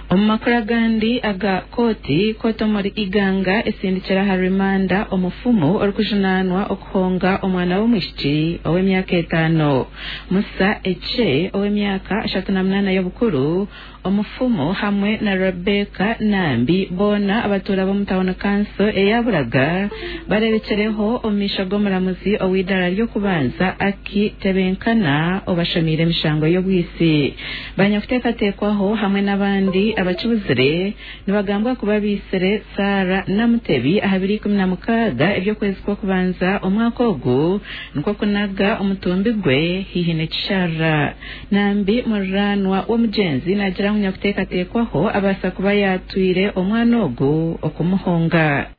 Omu makuru agandi aga kooti, kooti omuri Iganga esindikire aha rimanda omufumu orikujunaanwa okuhonga omwana w'omwishiki ow'emyaka etaano. Musa Eche ow'emyaka 38 y'obukuru, omufumu hamwe na Rebecca Nambi boona abatuura b'omu tauni kanso eya Buraga bareebekireho omu maisho g'omuramuzi ow'eidaara ry'okubanza Aki Tebenkana obashomiire emishango y'obwitsi. Banyakuteekateekwaho hamwe n'abandi abakibuzire nibagambwa kuba baitsire Sarah Namutebi aha biro 16 eby'okwezi kw'okubanza omwaka ogu nikwo kunaga omutumbi gwe haihi n'ekisharara. Nambi muriraanwa w'omugyenzi naagira ngu nyakuteekateekwaho abaasa kuba yaatwire omwana ogu okumuhonga.